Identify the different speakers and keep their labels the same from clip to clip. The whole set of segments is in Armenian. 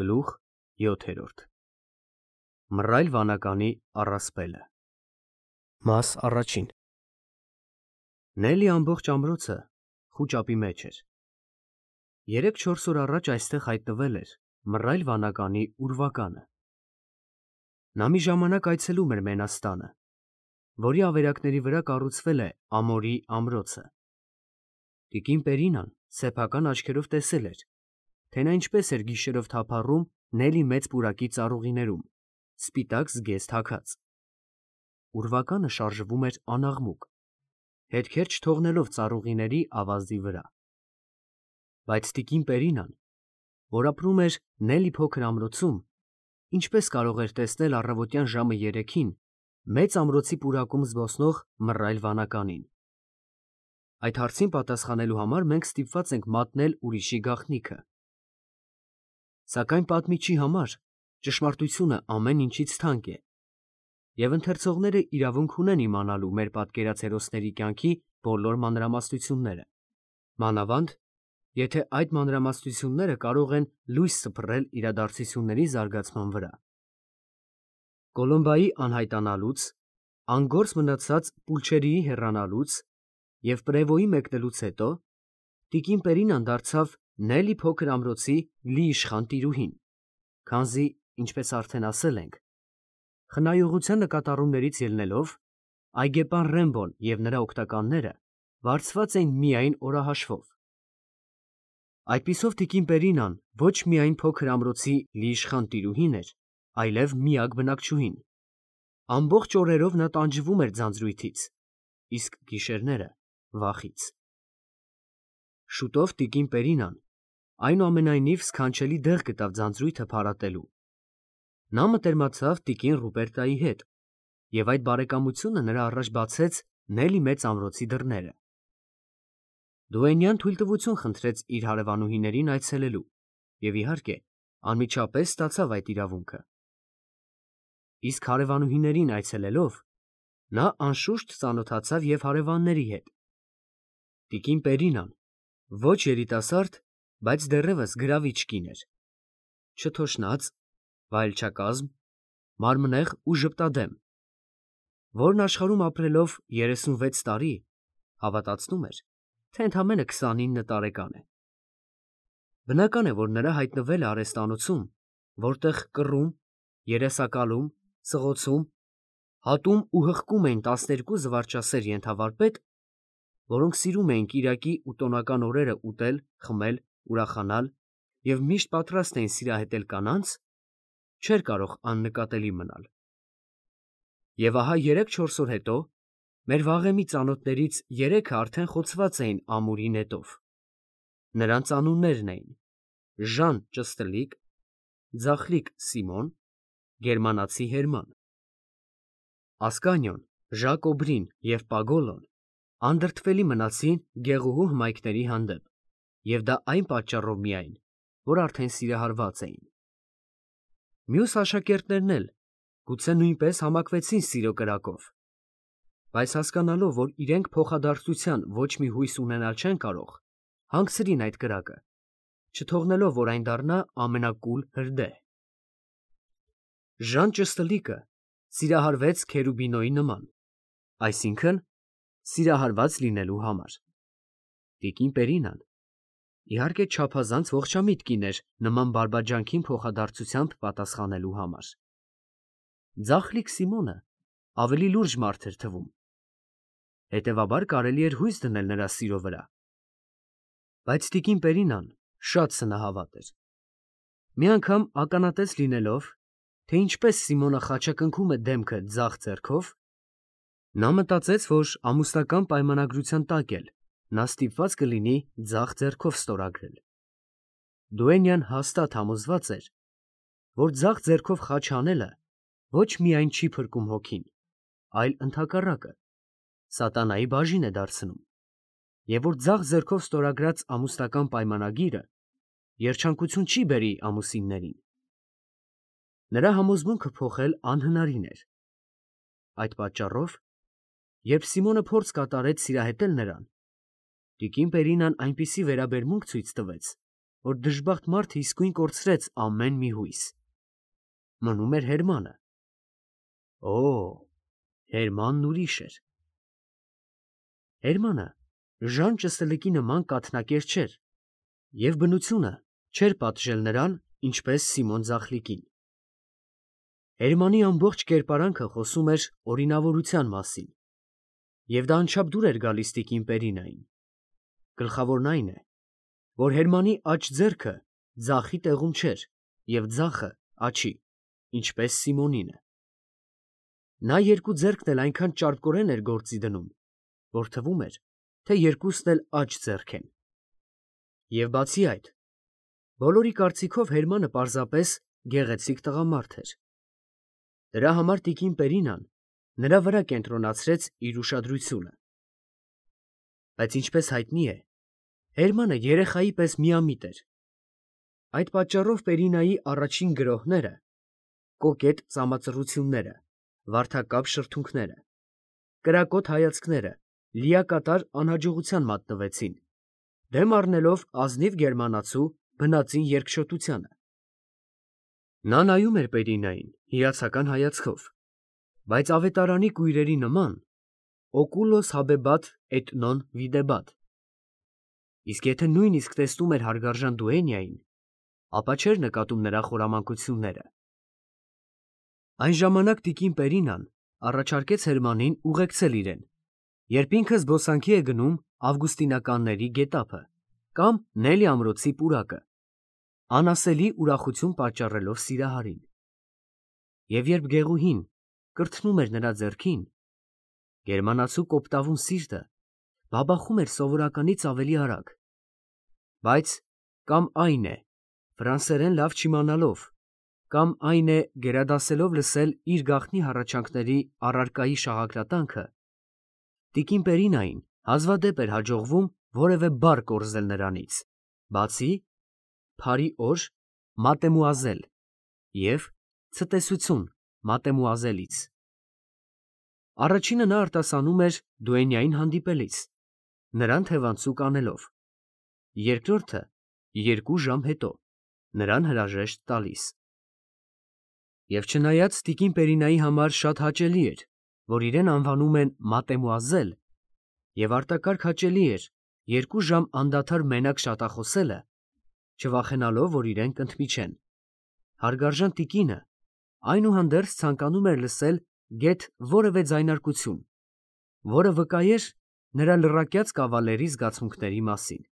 Speaker 1: Գլուխ 7. Մռայլ վանականի առասպելը։ Մաս առաջին։ Նելի ամբողջ ամրոցը խուճապի մեջ էր։ 3-4 օր առաջ այստեղ հայտնվել էր մռայլ վանականի ուրվականը։ Նա մի ժամանակ այցելում էր Մենաստանը, որի ավերակների վրա կառուցվել է Ամորի ամրոցը։ Տիկին Պերինան սեփական աչքերով տեսել էր, թե նա ինչպես էր գիշերով թափառում Նելի մեծ պուրակի ծառուղիներում, սպիտակ զգեստ հագած։ Ուրվականը շարժվում էր անաղմուկ, հետքեր չթողնելով ծառուղիների ավազի վրա։ Բայց տիկին Պերինան, որ ապրում էր Նելի փոքր ամրոցում, ինչպես կարող էր տեսնել առավոտյան ժամը 3-ին մեծ ամրոցի պուրակում զբոսնող մռայլ վանականին։ Այդ հարցին պատասխանելու համար մենք ստիպված ենք մատնել ուրիշի գաղտնիքը։ Սակայն պատմիչի համար ճշմարտությունը ամեն ինչից թանկ է, և ընթերցողները իրավունք ունեն իմանալու մեր պատկերած հերոսների կյանքի բոլոր մանրամասնությունները, մանավանդ, եթե այդ մանրամասնությունները կարող են լույս սփռել իրադարձությունների զարգացման վրա։ Կոլումբայի անհայտանալուց, անգործ մնացած Պուլչերիի հեռանալուց և Պրևոյի մեկնելուց հետո տիկին Պերինան դարձավ Նելի փոքր ամրոցի լիիշխան տիրուհին, քանզի, ինչպես արդեն ասել ենք, խնայողության նկատառումներից ելնելով, այգեպան Ռեմբոն և նրա օգնականները վարձված էին միայն օրահաշվով։ Այդպիսով տիկին Պերինան ոչ միայն փոքր ամրոցի լիիշխան տիրուհին էր, այլև միակ բնակչուհին։ Ամբողջ օրերով նա տանջվում էր ձանձրույթից, իսկ գիշերները վախից։ Շուտով տիկին Պերինան այնուամենայնիվ սքանչելի դեղ գտավ ձանձրույթը փարատելու։ Նա մտերմացավ տիկին Ռուպերտայի հետ, և այդ բարեկամությունը նրա առաջ բացեց Նելի մեծ ամրոցի դռները։ Դուենյան թույլտվություն խնդրեց իր հարևանուհիներին այցելելու և, իհարկե, անմիջապես ստացավ այդ իրավունքը։ Իսկ հարևանուհիներին այցելելով, նա անշուշտ ծանոթացավ և հարևանների հետ։ Տիկին Պերինան ոչ երիտասարդ, բայց դեռևս գրավիչ կին էր, չթոշնած, վայելչակազմ, մարմնեղ ու ժպտադեմ, որն աշխարհում ապրելով 36 տարի հավատացնում էր, թե ընդամենը 29 տարեկան է։ Բնական է, որ նրա հայտնվելը արհեստանոցում, որտեղ կռում, երեսակալում, սղոցում, հատում ու հղկում էին 12 զվարճասեր ենթավարպետ, որոնք սիրում էին կիրակի ու տոնական օրերը ուտել, խմել, ուրախանալ և միշտ պատրաստ էին սիրահետել կանանց, չէր կարող աննկատելի մնալ։ Եվ ահա 3-4 օր հետո մեր վաղեմի ծանոթներից 3-ը արդեն խոցված էին ամուրի նետով։ Նրանց անուններն էին Ժան Ճստլիկ, Ձախլիկ Սիմոն, գերմանացի Հերման։ Ասկանիոն, Ժակոբրին և Պագոլոն անդրդվելի մնացին գեղուհու հմայքների հանդեպ, և դա այն պատճառով միայն, որ արդեն սիրահարված էին։ Մյուս աշակերտներն էլ գուցե նույնպես համակվեցին սիրո կրակով, բայց հասկանալով, որ իրենք փոխադարձության ոչ մի հույս ունենալ չեն կարող, հանգցրին այդ կրակը, չթողնելով, որ այն դառնա ամենակուլ հրդեհ։ Ժան Ճստլիկը սիրահարվեց Քերուբինոյի նման, այսինքն՝ սիրահարված լինելու համար։ Տիկին Պերինան, իհարկե, չափազանց ողջամիտ կին էր նման բարբաջանքին փոխադարձությամբ պատասխանելու համար։ Ձախլիկ Սիմոնը ավելի լուրջ մարդ էր թվում, հետևաբար կարելի էր հույս դնել նրա սիրո վրա։ Բայց տիկին Պերինան շատ սնահավատ էր։ Մի անգամ ականատես լինելով, թե ինչպես Սիմոնը խաչակնքում է դեմքը ձախ ձեռքով, նա մտածեց, որ ամուսնական պայմանագրության տակ էլ նա ստիպված կլինի ձախ ձեռքով ստորագրել։ Դուենյան հաստատ համոզված էր, որ ձախ ձեռքով խաչ անելը ոչ միայն չի փրկում հոգին, այլ ընդհակառակը, սատանայի բաժին է դարձնում, և որ ձախ ձեռքով ստորագրած ամուսնական պայմանագիրը երջանկություն չի բերի ամուսիններին։ Նրա համոզմունքը փոխել անհնարին էր։ Այդ պատճառով, երբ Սիմոնը փորձ կատարեց սիրահետել նրան, տիկին Պերինան այնպիսի վերաբերմունք ցույց տվեց, որ դժբախտ մարդը իսկույն կորցրեց ամեն մի հույս։ Մնում էր Հերմանը։ Հերմանն ուրիշ էր։ Հերմանը Ժան Ճսլիկի նման կաթնակեր չէր, և բնությունը չէր պատժել նրան, ինչպես Սիմոն Ձախլիկին։ Հերմանի ամբողջ կերպարանքը խոսում էր օրինավորության մասին, և դա անչափ դուր էր գալիս տիկին Պերինային։ Գլխավորն այն է, որ Հերմանի աջ ձեռքը ձախի տեղում չէր և ձախը աջի, ինչպես Սիմոնինը։ Նա երկու ձեռքն էլ այնքան ճարպկորեն էր գործի դնում, որ թվում էր, թե երկուսն էլ աջ ձեռք են։ Եվ բացի այդ, բոլորի կարծիքով Հերմանը պարզապես գեղեցիկ տղամարդ էր։ Դրա համար տիկին Պերինան նրա վրա կենտրոնացրեց իր ուշադրությունը։ Բայց ինչպես հայտնի է, Հերմանը երեխայի պես միամիտ էր։ Այդ պատճառով Պերինայի առաջին գրոհները, կոկետ ծամածռությունները, վարդակապ շրթունքները, կրակոտ հայացքները լիակատար անհաջողության մատնվեցին, դեմ առնելով ազնիվ գերմանացու բնածին երկչոտությանը։ Նա նայում էր Պերինային հիացական հայացքով, բայց ավետարանի կույրերի նման օկուլոս հաբեբատ էտ նոն վիդեբատ։ Իսկ եթե նույնիսկ տեսնում էր հարգարժան Դուենյային, ապա չէր նկատում նրա խորամանկությունները։ Այն ժամանակ տիկին Պերինան առաջարկեց Հերմանին ուղեկցել իրեն, երբ ինքը զբոսանքի է գնում Ավգուստինականների գետափը կամ Նելի ամրոցի պուրակը, անասելի ուրախություն պատճառելով Սիրահարին։ Եվ երբ Գեղուհին կրթնում էր նրա ձեռքին, գերմանացու կոպտավուն սիրտը բաբախում էր սովորականից ավելի արագ։ Բայց կամ այն է, ֆրանսերեն լավ չիմանալով, կամ այն է, գերադասելով լսել իր գաղտնի հառաչանքների առարկայի շաղակրատանքը, տիկին Պերինային հազվադեպ էր հաջողվում որևէ բառ կորզել նրանից, բացի «Փարի օր, մատեմուազել» և «Ցտեսություն, մատեմուազելից»։ Առաջինը նա արտասանում էր Դուենյային հանդիպելիս, նրան թևանցուկ անելով, երկրորդը 2 ժամ հետո, նրան հրաժեշտ տալիս։ Եվ չնայած տիկին Պերինայի համար շատ հաճելի էր, որ իրեն անվանում են մատեմուազել, և արտակարգ հաճելի էր 2 ժամ անդադար մենակ շատախոսելը, չվախենալով, որ իրեն կընդմիջեն, հարգարժան տիկինը այնուհանդերձ ցանկանում էր լսել գեթ որևէ ձայնարկություն, որը վկայեր նրա լռակյաց կավալերի զգացմունքների մասին։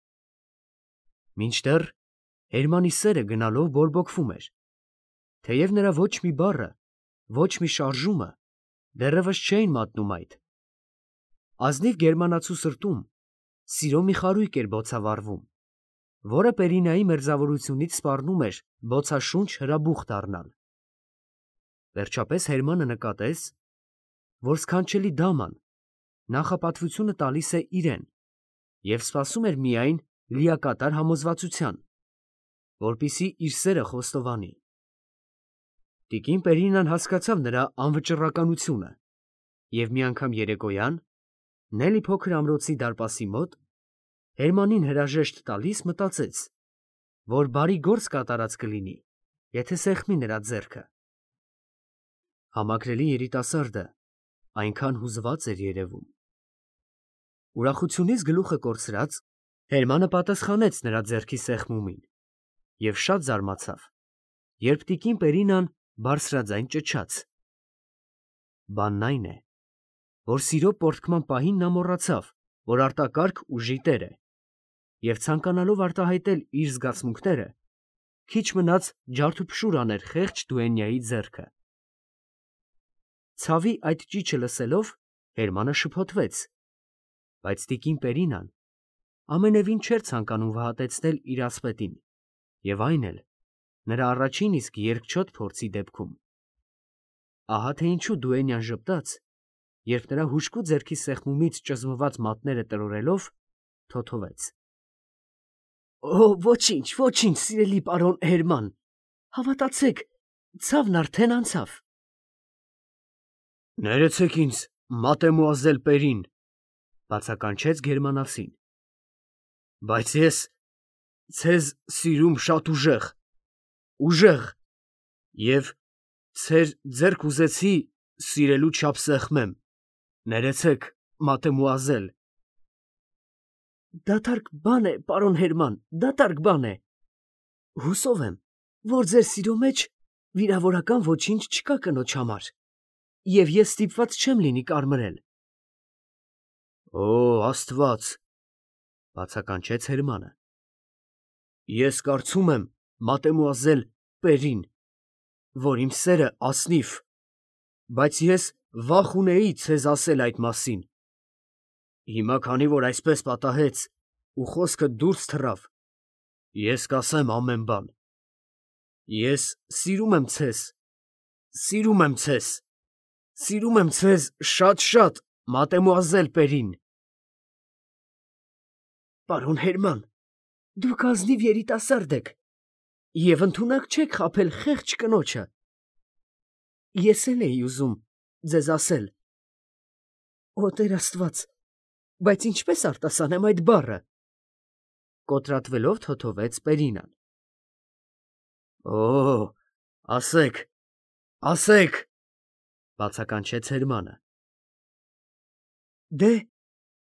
Speaker 1: Մինչդեռ Հերմանի սերը գնալով բորբոքվում էր, թեև նրա ոչ մի բառը, ոչ մի շարժումը դեռևս չէին մատնում այդ։ Ազնիվ գերմանացու սրտում սիրո մի խարույկ էր բոցավառվում, որը Պերինայի մերձավորությունից սպառնում էր բոցաշունչ հրաբուխ դառնալ։ Վերջապես Հերմանը նկատեց, որ սքանչելի դաման նախապատվությունը տալիս է իրեն և սպասում էր միայն լիակատար համոզվածության, որպեսզի իր սերը խոստովանի։ Տիկին Պերինան հասկացավ նրա անվճռականությունը և մի անգամ երեկոյան, Նելի փոքր ամրոցի դարպասի մոտ, Հերմանին հրաժեշտ տալիս մտածեց, որ բարի գործ կատարած կլինի, եթե սեղմի նրա ձեռքը։ Համակրելի երիտասարդը այնքան հուզված էր երևում։ Ուրախությունից գլուխը կորցրած, Հերմանը պատասխանեց նրա ձեռքի սեղմումին և շատ զարմացավ, երբ տիկին Պերինան բարձրաձայն ճչաց։ Բանն այն է, որ սիրո պոռթկման պահին նա մոռացավ, որ արտակարգ ուժի տեր է, և ցանկանալով արտահայտել իր զգացմունքները, քիչ մնաց ջարդուփշուր աներ խեղճ Դուենյայի ձեռքը։ Ցավի այդ ճիչը լսելով Հերմանը շփոթվեց, բայց տիկին Պերինան ամենևին չէր ցանկանում վհատեցնել իր ասպետին, և այն էլ նրա առաջին իսկ երկչոտ փորձի դեպքում։ Ահա թե ինչու Դուենյան ժպտաց, երբ նրա հուժկու ձեռքի սեղմումից ճզմված մատները տրորելով, թոթվեց. Ոչինչ, ոչինչ, սիրելի պարոն Հերման, հավատացեք, ցավն արդեն անցավ։ Ներեցեք ինձ, մատեմուազել Պերին, բացականչեց գերմանացին, բայց ցեզ սիրում շատ ուժեղ, եւ ցեր ձեռք ուզեցի սիրելու չափ սեղմեմ, ներեցեք, մատեմուազել։ Դատարկ բան է, պարոն Հերման, դատարկ բան է։ Հուսով եմ, որ ձեր սիրո մեջ վիրավորական ոչինչ չկա կնոջ համար, եւ ես ստիպված չեմ լինի կարմրել։ Օ, Աստված, բացականչեց Հերմանը։ Ես կարծում եմ, մատեմուազել Պերին, որ իմ սերը ասնիվ, բայց ես վախ ունեի ցեզ ասել այդ մասին։ Հիմա քանի որ այսպես պատահեց ու խոսքը դուրս թռավ, ես կասեմ ամեն բան։ Ես սիրում եմ ցեզ շատ, մատեմուազել Պերին։ Պարոն Հերման, դուք ազնիվ երիտասարդ եք եւ ընդունակ չեք խաբել խեղճ կնոջը։ Ես էլ էի ուզում ձեզ ասել։ Օ, Տեր Աստված, բայց ինչպես արտասանեմ այդ բառը։ Կոտրատվելով թոթովեց Պերինան։ Օ, ասեք, բացականչեց Հերմանը։ Դե,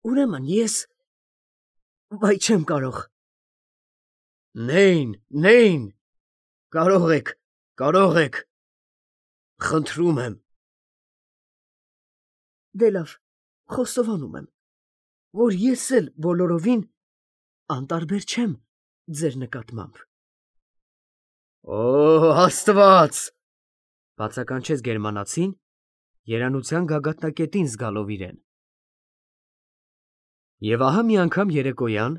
Speaker 1: ուրեմն ես, վայ չեմ կարող։ Նեին, կարող եք, խնդրում եմ։ Դե լավ, խոստովանում եմ, որ ես էլ բոլորովին անտարբեր չեմ ձեր նկատմամբ։ Օ, Աստված, բացականչեց գերմանացին, երանության գագաթնակետին զգալով իրեն։ Եվ ահա մի անգամ երեկոյան,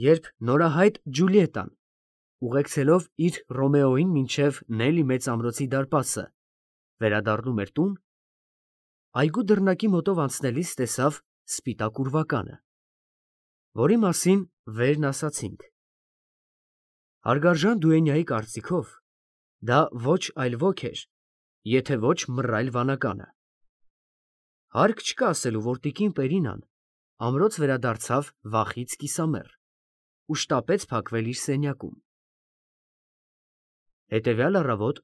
Speaker 1: երբ նորահայտ Ջուլիետան, ուղեկցելով իր Ռոմեոյին մինչև Նելի մեծամրոցի դարպասը, վերադառնում էր տուն, այգու դռնակի մոտով անցնելիս տեսավ սպիտակ ուրվականը, որի մասին վերն ասացինք։ Հարգարժան դուենյայի կարծիքով, դա ոչ այլ ոք էր, եթե ոչ մռայլ վանականը։ Հարկ չկա ասելու, որ տիկին Պերինան ամրոց վերադարձավ վախից կիսամեռ ու շտապեց փակվել իր սենյակում։ Հետևյալ առավոտ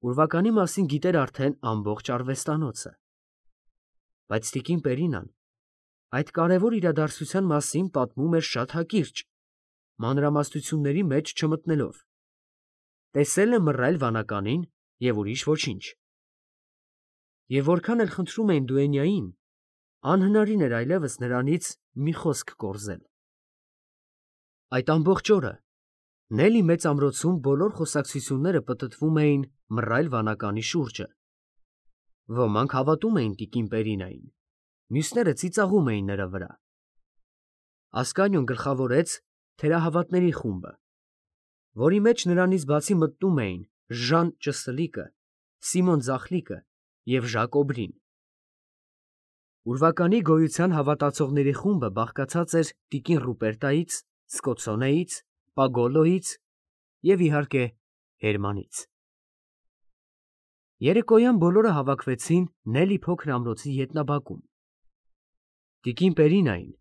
Speaker 1: ուրվականի մասին գիտեր արդեն ամբողջ արվեստանոցը, բայց տիկին Պերինան այդ կարևոր իրադարձության մասին պատմում էր շատ հակիրճ, մանրամասնությունների մեջ չմտնելով, տեսել է մռայլ վանականին և ուրիշ ոչինչ։ Եվ որքան էլ խնդրում էին դուենյային, անհնարին էր այլևս նրանից մի խոսք կորզել։ Այդ ամբողջ օրը Նելի մեծամրոցում բոլոր խոսակցությունները պտտվում էին մռայլ վանականի շուրջը։ Ոմանք հավատում էին տիկին Պերինային, մյուսները ծիծաղում էին նրա վրա։ Ասկանյոն գլխավորեց թերահավատների խումբը, որի մեջ նրանից բացի մտնում էին Ժան Ճսլիկը, Սիմոն Ձախլիկը և Ժակ Օբրին։ Ուրվականի գոյության հավատացողների խումբը բաղկացած էր տիկին Ռուպերտայից, Սկոցոնեից, Պագոլոյից և, իհարկե, Հերմանից։ Երեկոյան բոլորը հավաքվեցին Նելի փոքր ամրոցի ետնաբակում։ Տիկին Պերինային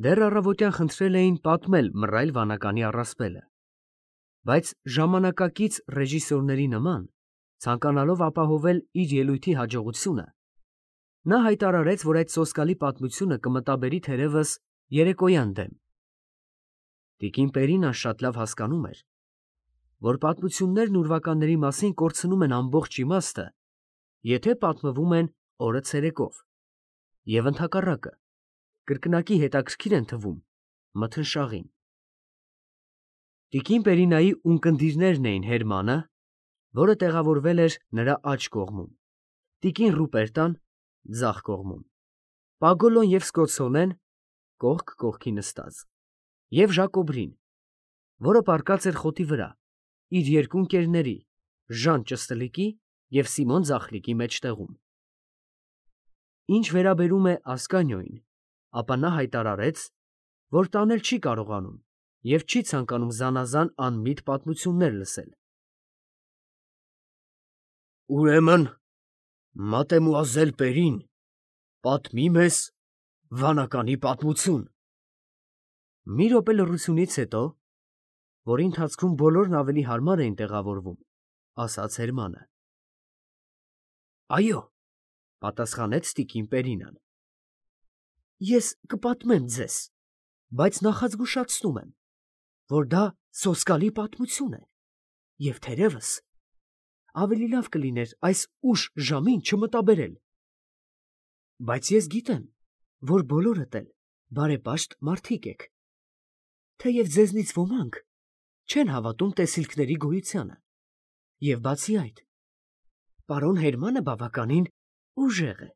Speaker 1: դեռ առավոտյան խնդրել էին պատմել մռայլ վանականի առասպելը, բայց ժամանակակից ռեժիսորների նման, ցանկանալով ապահովել իր ելույթի հաջողությունը, նա հայտարարեց, որ այդ սոսկալի պատմությունը կմտաբերի թերևս երեկոյան դեմ։ Տիկին Պերինան շատ լավ հասկանում էր, որ պատմություններն ուրվականների մասին կորցնում են ամբողջ իմաստը, եթե պատմվում են օրը ցերեկով, և ընդհակառակը, կրկնակի հետաքրքիր են թվում մթնշաղին։ Տիկին Պերինայի ունկնդիրներն էին Հերմանը, որը տեղավորվել էր նրա աջ կողմում, տիկին Ռուպերտան ձախ կողմում, Պագոլոն և Սկոցոնեն կողք կողքի նստած, և Ժակ Օբրին, որը պառկած էր խոտի վրա, իր երկու ընկերների Ժան Ճսլիկի և Սիմոն Ձախլիկի մեջտեղում։ Ինչ վերաբերում է Ասկանյոյին, ապա նա հայտարարեց, որ տանել չի կարողանում և չի ցանկանում զանազան անմիտ պատմություններ լսել։ Ուրեմն մատեմուազել Պերին պատմի մեզ վանականի պատմություն։ Մի րոպե լռությունից հետո որի ընթացքում բոլորն ավելի հարմար էին տեղավորվում, ասաց Հերմանը։ Այո, պատասխանեց տիկին Պերինան։ Ես կպատմեմ ձեզ, բայց նախազգուշացնում եմ, որ դա սոսկալի պատմություն է, և թերևս ավելի լավ կլիներ այս ուշ ժամին չմտաբերել։ Բայց ես գիտեմ, որ բոլորդ էլ բարեպաշտ մարդիկ եք, թեև ձեզնից ոմանք չեն հավատում տեսիլքների գոյությանը, և բացի այդ, պարոն Հերմանը բավականին ուժեղ է,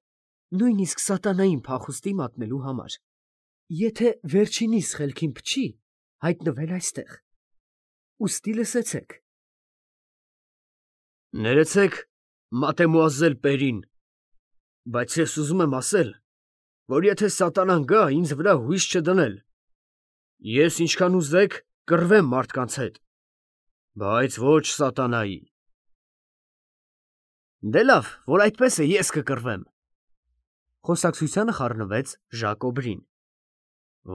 Speaker 1: նույնիսկ սատանային փախուստի մատնելու համար, եթե վերջինիս խելքին փչի հայտնվել այստեղ, ուստի լսեցեք։ Ներեցեք, մատեմուազել Պերին, բայց ես ուզում եմ ասել, որ եթե սատանան գա ինձ վրա հույս չդնել, ես ինչքան ուզեք կռվեմ մարդկանց հետ, բայց ոչ սատանայի։ Դե լավ, որ այդպես է, ես կկռվեմ։ Խոսակցությանը խառնվեց Ժակոբրին։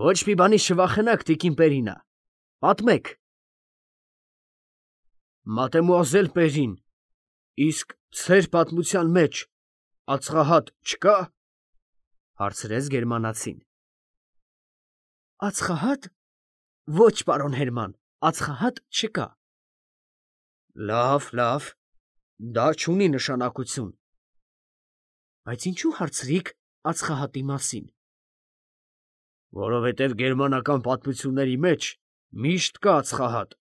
Speaker 1: Ոչ մի բանից չվախենաք, տիկին Պերինա, պատմեք։ Մատեմուազել Պերին, իսկ ձեր պատմության մեջ ածխահատ չկա, հարցրեց գերմանացին։ Ածխահա՞տ։ Ոչ, պարոն Հերման, ածխահատ չկա։ Լավ, դա չունի նշանակություն։ Բայց ինչու հարցրիք ածխահատի մասին։ Որովհետև գերմանական պատմությունների մեջ միշտ կա ածխահատ,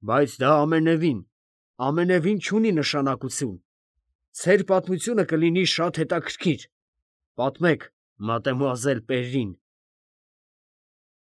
Speaker 1: բայց դա ամենևին չունի նշանակություն։ Ձեր պատմությունը կլինի շատ հետաքրքիր։ Պատմեք, մատեմուազել Պերին։